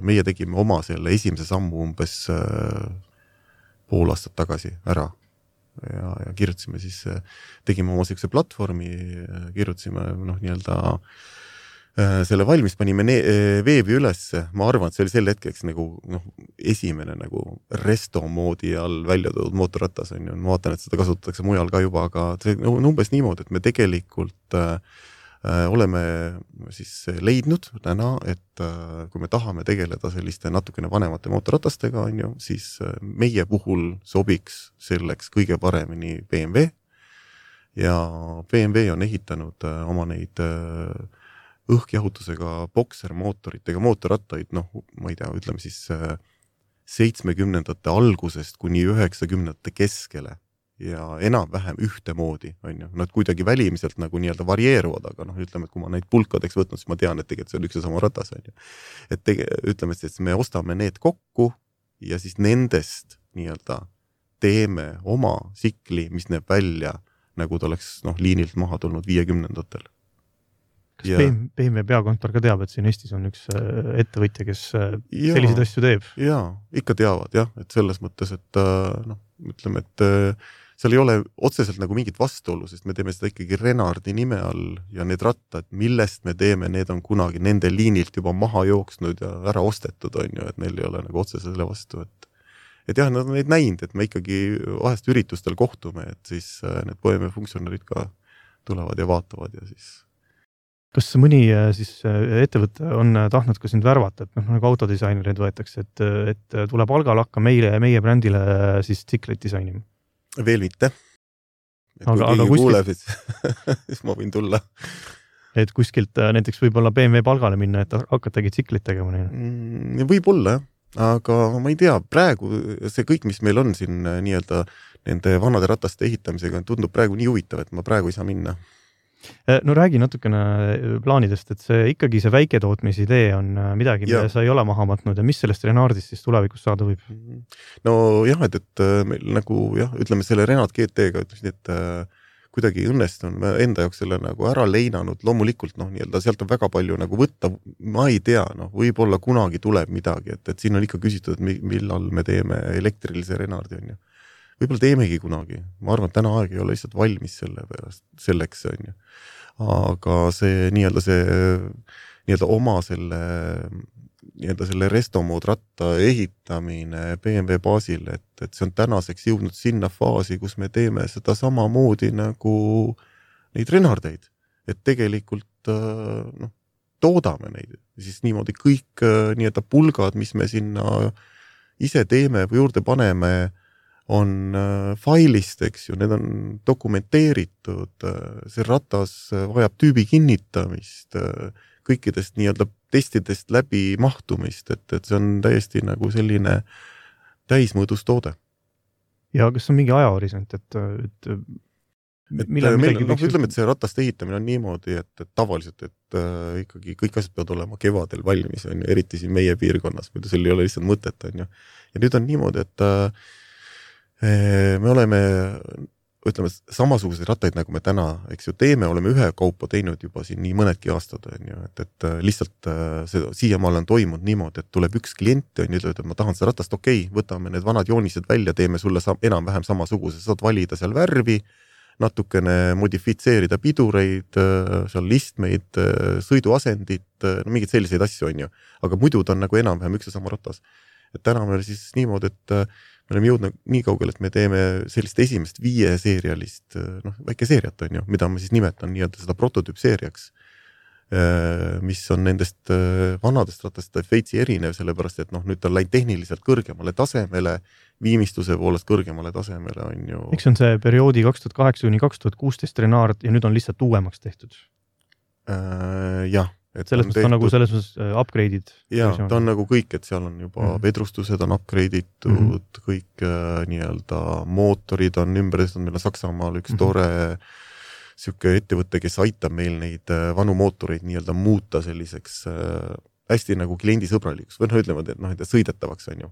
meie tegime oma selle esimese sammu umbes pool aastat tagasi ära ja, ja kirjutasime siis, tegime oma sellise platvormi, kirjutasime noh, nii-öelda selle valmis panime ne- veebi ülesse, ma arvan, et see oli sel hetkeks nagu noh, esimene nagu resto moodi all välja toodud mootorratas on ju, ma vaatan, et seda kasutatakse mujal ka juba, aga see on umbes niimoodi, et me tegelikult äh, oleme siis leidnud täna, et äh, kui me tahame tegeleda selliste natukene vanemate mootorratastega on ju, siis äh, meie puhul sobiks selleks kõige paremini B M W ja B M W on ehitanud äh, oma neid äh, õhkjahutusega boksermootoritega mootorrattaid, noh, ma ei tea, ütleme siis seitsmekümnendate algusest kuni üheksakümnendate keskele ja enam-vähem ühtemoodi, on ju. Nad kuidagi välimiselt nagu nii-öelda varieeruvad, aga noh, ütleme, et kui ma neid pulkadeks võtnud, siis ma tean, et tegelikult see on üks ja sama ratas, on ju. Et tege, ütleme, et me ostame need kokku ja siis nendest nii-öelda teeme oma sikli, mis näeb välja, nagu ta oleks noh, liinilt maha tulnud viiekümnendatel. Kas ja. B M W peakontor ka teab, et siin Eestis on üks ettevõtja, kes ja, selliseid asju teeb? Jaa, ikka teavad jah, et selles mõttes, et noh, ütleme, et seal ei ole otseselt nagu mingit vastuolu, sest me teeme seda ikkagi Renardi nime all ja need rattad, millest me teeme, need on kunagi nende liinilt juba maha jooksnud ja ära ostetud, on ju, et neil ei ole nagu otse selle vastu, et et jah, nad on neid näinud, et me ikkagi vahest üritustel kohtume, et siis need B M W funktsionärid ka tulevad ja vaatavad ja siis kas mõni siis ettevõte on tahtnud ka sind värvata, et noh, nagu autodisainerid võetakse, et, et tule palgal hakka meile, meie brändile siis tsikleid disainima? Veel mitte. Et aga, kui aga kuskilt... kuuleb, siis, siis ma võin tulla. Et kuskilt näiteks võib-olla B M W palgale minna, et hakatagi tsiklit tegema neile? Mm, võib-olla, aga ma ei tea, praegu see kõik, mis meil on siin nii-öelda nende vanade rataste ehitamisega, tundub praegu nii huvitav, et ma praegu ei saa minna. No räägi natukene plaanidest, et see ikkagi see väiketootmise idee on midagi, mida ja. sa ei ole maha matnud ja mis sellest Renardist siis tulevikus saada võib? No jah, et, et meil nagu jah, ütleme selle Renard G T-ga ütlesin, et äh, kuidagi õnnestun enda jaoks selle nagu ära leinanud, loomulikult noh, nii-öelda sealt on väga palju nagu võtta, ma ei tea, noh, võib-olla kunagi tuleb midagi, et, et siin on ikka küsitud, et millal me teeme elektrilise Renardi, on ju. Võib-olla teemegi kunagi. Ma arvan, et täna aeg ei ole lihtsalt valmis selle pärast, selleks, on ju. Aga see nii-öelda see nii-öelda oma selle nii-öelda selle restomood ratta ehitamine B M W baasil, et, et see on tänaseks jõudnud sinna faasi, kus me teeme seda sama moodi nagu neid Renardeid. Et tegelikult noh, toodame neid. Siis niimoodi kõik nii-öelda pulgad, mis me sinna ise teeme või juurde paneme, on äh, failist, eks ju, need on dokumenteeritud, äh, see ratas vajab tüübi kinnitamist, äh, kõikidest nii-öelda testidest läbi mahtumist, et, et see on täiesti nagu selline täismõõdus toode. Ja kas on mingi ajahorisont, et, et, et millal meil, no, ütleme, et see ratast ehitamine on niimoodi, et, et tavaliselt, et äh, ikkagi kõik asjad peavad olema kevadel valmis, on ju, eriti siin meie piirkonnas, muidu seal ei ole lihtsalt mõtet, on ju. Ja nüüd on niimoodi, et äh, me oleme, ütleme, samasuguseid rattaid, nagu me täna, eks ju, teeme, oleme ühe kaupa teinud juba siin nii mõnedki aastad, on ju, et, et lihtsalt see siiamaal on toimunud niimoodi, et tuleb üks klient, on ju, ütleb, et ma tahan seda ratast, okei, okay, võtame need vanad joonised välja, teeme sulle sa, enam-vähem samasuguse, saad valida seal värvi, natukene modifitseerida pidureid, seal listmeid, sõiduasendit, no mingid selliseid asju, on ju, aga muidu ta on nagu enam-vähem üks ja sama ratas. Et täna meil siis niimoodi, et me oleme jõudnud nii kaugel, et me teeme sellist esimest viie seerialist, noh, väike seeriat on ju, mida ma siis nimetan nii-öelda seda prototüüpseeriaks, mis on nendest vanadest ratast veitsi erinev, sellepärast, et noh, nüüd ta on läinud tehniliselt kõrgemale tasemele, viimistluse poolest kõrgemale tasemele on ju. Miks on see perioodi kaks tuhat kaheksa kuni kaks tuhat kuusteist Renard ja nüüd on lihtsalt uuemaks tehtud? Äh, jah. Selles mõttes on nagu selles mõttes upgrade'id. Jaa, ta on nagu kõik, et seal on juba mm-hmm. vedrustused on upgrade'itud, mm-hmm. kõik äh, nii-öelda mootorid on ümber, meil on Saksamaal üks mm-hmm. tore siuke ettevõte, kes aitab meil neid äh, vanu mootoreid nii-öelda muuta selliseks äh, hästi nagu kliendisõbralikuks, või noh, ütleme, et noh, et sõidetavaks on ju.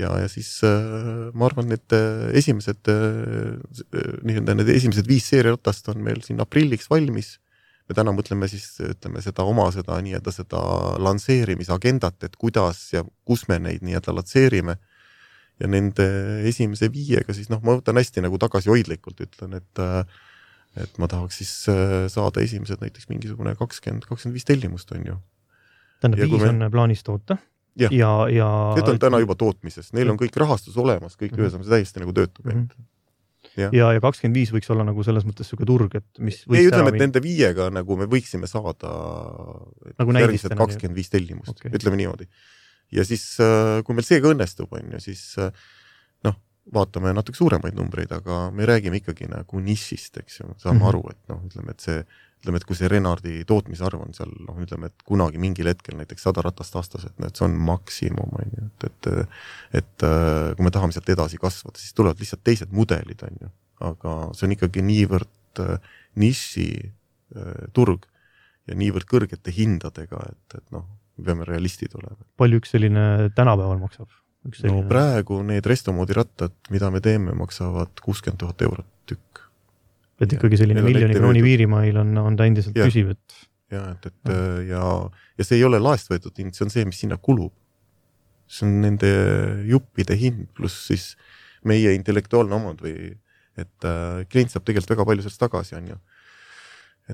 Ja, ja siis äh, ma arvan, et äh, esimesed äh, nii-öelda need esimesed viis seeriaratast on meil siin aprilliks valmis. Me täna mõtleme siis, ütleme, seda oma seda nii-öelda seda lansseerimisagendat, et kuidas ja kus me neid nii-öelda latseerime. Ja nende esimese viiega siis, noh, ma võtan hästi nagu tagasi hoidlikult, ütlen, et, et ma tahaks siis saada esimesed näiteks mingisugune kakskümmend, kakskümmend viis tellimust on ju. Tähendab, viis me... on plaanis toota ja, ja, ja... Need on täna juba tootmises, neil on kõik rahastus olemas, kõik mm-hmm. ühes on see täiesti nagu töötub mm-hmm. Ja, ja, ja kakskümmend viis võiks olla nagu selles mõttes suke turg, et mis võiks ei, ütleme, et nende viiega nagu me võiksime saada nagu järgmised kakskümmend viis tellimust, okay. Ütleme niimoodi. Ja siis, kui meil seega õnnestub, on ju, siis noh, vaatame natuke suuremaid numbreid, aga me räägime ikkagi nagu nišist, eks ju, saame mm-hmm. aru, et noh, ütleme, et see ütleme, et kui see Renardi tootmisarv on seal, noh, ütleme, et kunagi mingil hetkel näiteks sada ratast aastas, et, no, et see on maksimum, on ju, et, et, et kui me tahame sealt edasi kasvada, siis tulevad lihtsalt teised mudelid, on ju, aga see on ikkagi niivõrd niši turg ja niivõrd kõrgete hindadega, et, et noh, me peame realistid olema. Palju üks selline tänapäeval maksab? Üks selline... No praegu need restomoodi rattad, mida me teeme, maksavad kuuskümmend tuhat eurot tükk. Et ikkagi selline miljoni krooni viirimail on, on ta endiselt ja, püsiv, et... Ja, et, et ja, ja see ei ole laest võetud hind, see on see, mis sinna kulub. See on nende juppide hind, pluss siis meie intellektuaalne omand või, et äh, klient saab tegelikult väga palju sellest tagasi, on ju.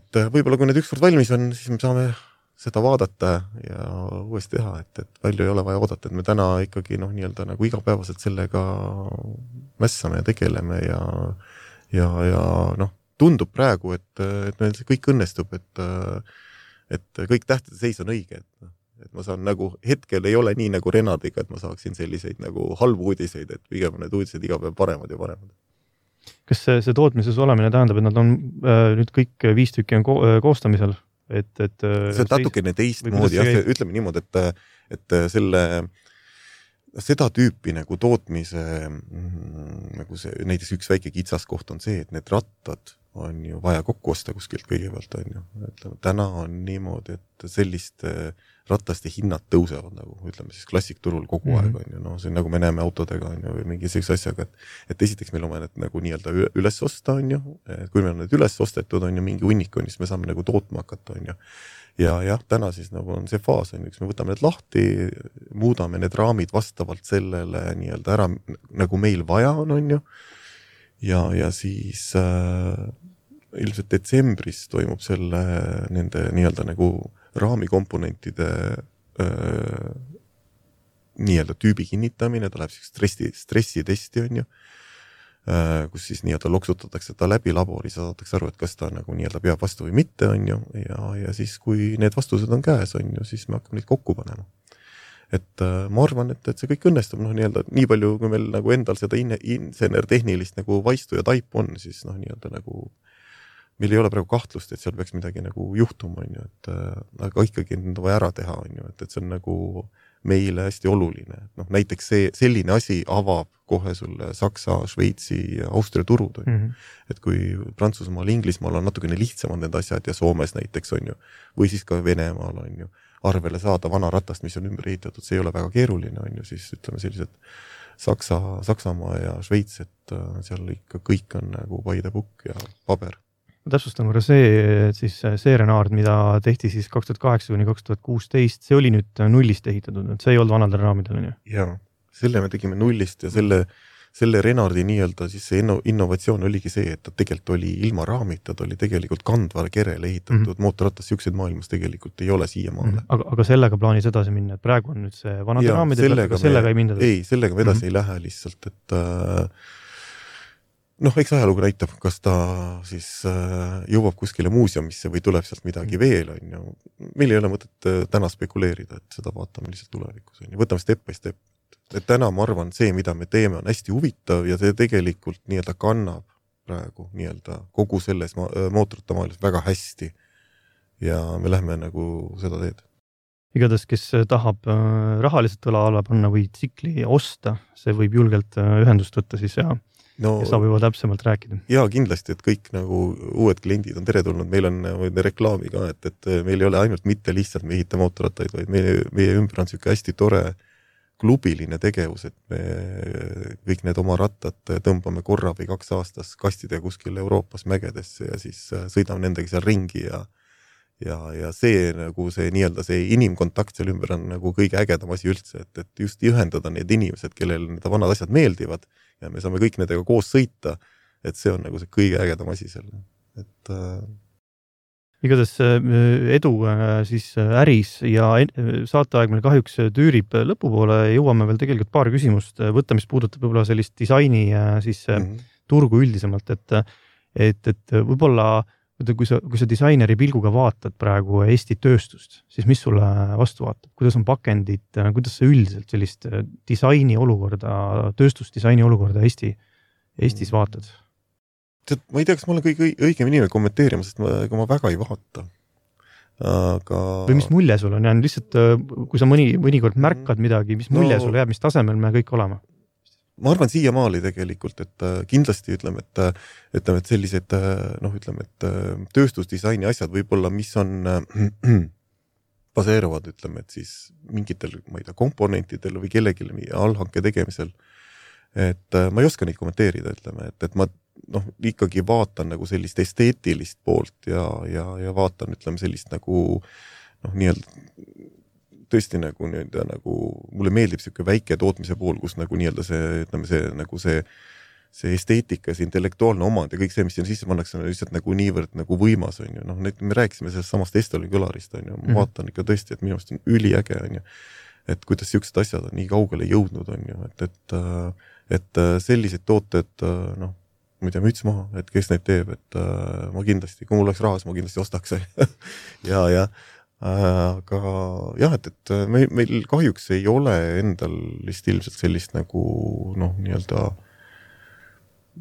Et äh, võib-olla kui need ükskord valmis on, siis me saame seda vaadata ja uuesti teha, et, et palju ei ole vaja oodata, et me täna ikkagi noh, nii-öelda nagu igapäevaselt sellega mässame ja tegeleme ja ja, ja noh, tundub praegu, et, et meil see kõik õnnestub, et, et kõik tähtede seis on õige, et, et ma saan nagu, hetkel ei ole nii nagu Renardiga, et ma saaksin selliseid nagu halbu uudiseid, et pigem need uudised iga päev paremad ja paremad. Kas see, see tootmises olemine tähendab, et nad on äh, nüüd kõik viis tükki on ko- koostamisel? Et, et, see on natukene teist moodi, jah, ütleme niimoodi, et, et selle seda tüüpi nagu tootmise nagu see, näiteks üks väike kitsaskoht on see, et need rattad on ju vaja kokku osta kuskilt kõigepealt, on ju. Ütleme, täna on niimoodi, et selliste rataste hinnad tõusevad nagu, ütleme siis klassikturul kogu mm-hmm. aeg, on ju. No, see on nagu me näeme autodega, on ju, või mingi sellise asjaga, et, et esiteks meil on vaja need nagu nii-öelda üles osta, on ju. Et kui meil on need üles ostetud, on ju, mingi hunnik on, siis me saame nagu tootma hakata, on ju. Ja jah, täna siis nagu on see faas, on üks, me võtame need lahti, muudame need raamid vastavalt sellele nii-öelda ära, nagu meil vaja on, on ju. Ja, ja siis äh, ilmselt detsembris toimub selle nende nii-öelda nagu raamikomponentide äh, nii-öelda tüübi kinnitamine, ta läheb stressi, stressitesti, on ju. Kus siis nii-öelda loksutatakse ta läbi labori, saadatakse aru, et kas ta nagu nii-öelda peab vastu või mitte, on ju, ja, ja siis kui need vastused on käes, on ju, siis me hakkame neid kokku panema. Et äh, ma arvan, et, et see kõik õnnestub, noh nii-öelda nii palju, kui meil nagu endal seda in- insener-tehnilist nagu vaistu ja taipu on, siis noh nii-öelda nagu meil ei ole praegu kahtlust, et seal peaks midagi nagu juhtuma, on ju, et äh, aga ikkagi on vaja ära teha, on ju, et, et see on nagu meile hästi oluline. No, näiteks see, selline asi avab kohe sulle Saksa, Šveitsi ja Austria turud. On. Mm-hmm. Et kui Prantsusmaal, Inglismaal on natukene lihtsamad need asjad ja Soomes näiteks on ju, või siis ka Venemaal on ju, arvele saada vana ratast, mis on ümber ehitatud, see ei ole väga keeruline, on ju, siis ütleme sellised Saksa, Saksamaa ja Šveits, et seal ikka kõik on nagu by the book ja paber. Täpsustan korra see, et siis see Renard, mida tehti siis kaks tuhat kaheksa kuni kaks tuhat kuusteist, see oli nüüd nullist ehitatud, et see ei olnud vanadel raamidel, on ju? Jaa, selle me tegime nullist ja selle, selle Renardi nii-öelda siis see innovatsioon oligi see, et ta tegelikult oli ilma raamita, ta oli tegelikult kandva kerele ehitatud mm-hmm. mootorratas, siukseid maailmas tegelikult ei ole siiamaale. Mm-hmm. Aga, aga sellega plaanis edasi minna, et praegu on nüüd see vanade ja, raamide pealt, aga sellega me, ei minda? Ei, sellega me edasi mm-hmm. ei lähe lihtsalt, et äh, noh, eks ajalugu näitab, kas ta siis äh, jõuab kuskile muuseumisse või tuleb sealt midagi veel, on ju. Meil ei ole mõtet äh, täna spekuleerida, et seda vaatame lihtsalt tulevikus, on ju. Võtame step by step. Et täna ma arvan, see, mida me teeme, on hästi huvitav ja see tegelikult nii-öelda kannab praegu nii-öelda kogu selles ma- mootorite maailmas väga hästi ja me lähme nagu seda teed. Igatahes, kes tahab äh, rahaliselt õla alla panna või tsikli osta, see võib julgelt äh, ühendust võtta siis ja No, ja saab juba täpsemalt rääkida. Jaa, kindlasti, et kõik nagu uued kliendid on teretulnud. Meil on reklaami ka, et, et meil ei ole ainult mitte lihtsalt me ehita mootorrattaid, vaid meie, meie ümber on selline hästi tore klubiline tegevus, et me kõik need oma rattad tõmbame korra või kaks aastas kastide kuskil Euroopas mägedesse ja siis sõidame nendega seal ringi ja ja, ja see nagu see nii-öelda see inimkontakt seal ümber on nagu kõige ägedam asi üldse, et, et just ühendada need inimesed, kellel need vanad asjad meeldivad ja me saame kõik nendega koos sõita, et see on nagu see kõige ägedam asi seal. et äh... igatahes edu siis äris ja saateaeg meil kahjuks tüürib lõpupoole, jõuame veel tegelikult paar küsimust võtta, mis puudutab võib-olla sellist disaini siis mm-hmm. turgu üldisemalt, et, et, et võib-olla kui sa, kui sa disaineri pilguga vaatad praegu Eesti tööstust, siis mis sulle vastu vaatab? Kuidas on pakendid, kuidas sa üldiselt sellist disaini olukorda, tööstusdisaini olukorda Eesti, Eestis vaatad? Tead, ma ei tea, kas ma olen kõige õigem inimene kommenteerima, sest ma, ega ma väga ei vaata. Aga... Või mis mulje sul on? Ja lihtsalt, kui sa mõni, mõnikord märkad midagi, mis mulje no, sul jääb, mis tasemel me kõik olema? Ma arvan siia maali tegelikult, et kindlasti ütleme, et, ütleme, et sellised, noh, ütleme, et tööstusdisaini asjad võib-olla, mis on baseeruvad, ütleme, et siis mingitel, ma ei tea, komponentidel või kellelgi allhanke tegemisel, et ma ei oska neid kommenteerida, ütleme, et, et ma noh, ikkagi vaatan nagu sellist esteetilist poolt ja, ja, ja vaatan, ütleme, sellist nagu noh, nii-öelda tõesti nagu nii-öelda nagu mulle meeldib siuke väike tootmise pool, kus nagu nii-öelda see, ütleme see nagu see see esteetika, see intellektuaalne omand ja kõik see, mis siin sisse pannakse, on lihtsalt nagu niivõrd nagu võimas, on ju. Noh, need, me rääkisime sellest samast Estolin kõlarist, on ju. Ma vaatan ikka tõesti, et minu arust on üliäge, on ju. Et kuidas siuksed asjad on nii kaugele jõudnud, on ju. Et, et, et sellised tooted, noh, ma ei tea, müts maha, et kes neid teeb, et ma kindlasti, kui mul oleks rahas, ma kindlasti ostaks. ja, ja aga jah, et, et meil, meil kahjuks ei ole endal vist ilmselt sellist nagu noh, nii-öelda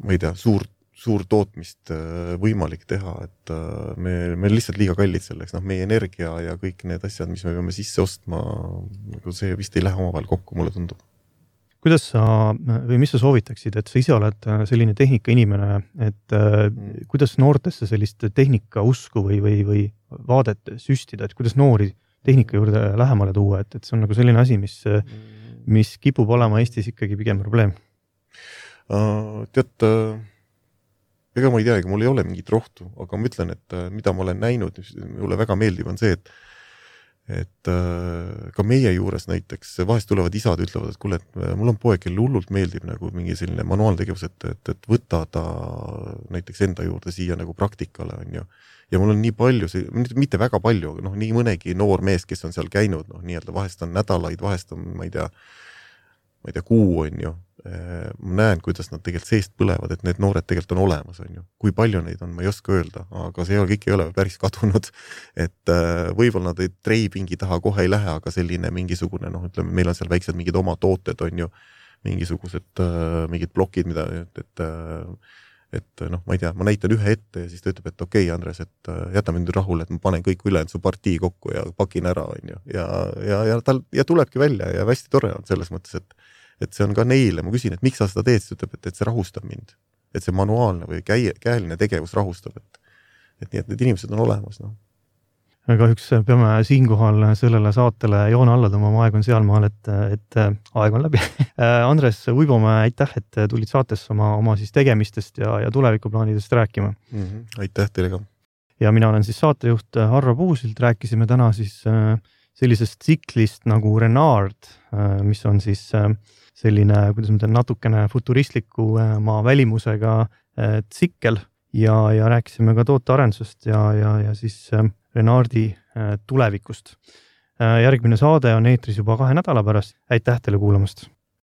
ma ei tea, suur, suur tootmist võimalik teha, et me, me lihtsalt liiga kallid selleks, noh, meie energia ja kõik need asjad, mis me peame sisse ostma, see vist ei lähe omavahel kokku, mulle tundub. Kuidas sa, või mis sa soovitaksid, et sa ise oled selline tehnika inimene, et mm. kuidas noortesse sellist tehnika usku või, või, või vaadet süstida, et kuidas noori tehnika juurde lähemale tuua, et, et see on nagu selline asi, mis, mis kipub olema Eestis ikkagi pigem probleem? Uh, tead, uh, ega ma ei tea, ega mul ei ole mingit rohtu, aga ma ütlen, et uh, mida ma olen näinud, mulle väga meeldib on see, et, et uh, ka meie juures näiteks vahest tulevad isad ütlevad, et kuule, et mul on poeg, kel hullult meeldib nagu mingi selline manuaaltegevus, et, et, et võtta ta näiteks enda juurde siia nagu praktikale, on ju. Ja mul on nii palju, mitte väga palju, aga noh, nii mõnegi noor mees, kes on seal käinud, noh, nii-öelda vahest on nädalaid, vahest on, ma ei tea, ma ei tea, kuu on ju. Ma näen, kuidas nad tegelikult seest põlevad, et need noored tegelikult on olemas, on ju. Kui palju neid on, ma ei oska öelda, aga see kõik ei ole päris kadunud. Et võib-olla nad ei treipingi taha kohe ei lähe, aga selline mingisugune, noh, ütleme, meil on seal väiksed mingid oma tooted, on ju, mingisugused mingid plokid, mida, et, et, et noh, ma ei tea, ma näitan ühe ette ja siis ta ütleb, et okei, okay, Andres, et jätame nüüd rahule, et ma panen kõik üle su partii kokku ja pakin ära, on ju. Ja, ja, ja, tal, ja tulebki välja ja hästi tore on selles mõttes, et et see on ka neile, ma küsin, et miks sa seda teed, siis ütleb, et, et see rahustab mind. Et see manuaalne või käi, käeline tegevus rahustab, et, et nii, et need inimesed on olemas. No. Kahjuks peame siinkohal sellele saatele joone alla tõmbama, aeg on sealmaal, et, et aeg on läbi. Andres Uibomäe, aitäh, et tulid saatesse oma, oma siis tegemistest ja, ja tulevikuplaanidest rääkima. Mm-hmm. Aitäh teile ka. Ja mina olen siis saatejuht Harro Puusilt, rääkisime täna siis sellisest tsiklist nagu Renard, mis on siis selline, kuidas ma tean, natukene futuristliku maa välimusega tsikkel ja, ja rääkisime ka tootearendusest ja, ja, ja siis Renardi tulevikust. Järgmine saade on eetris juba kahe nädala pärast. Aitäh teile kuulamast!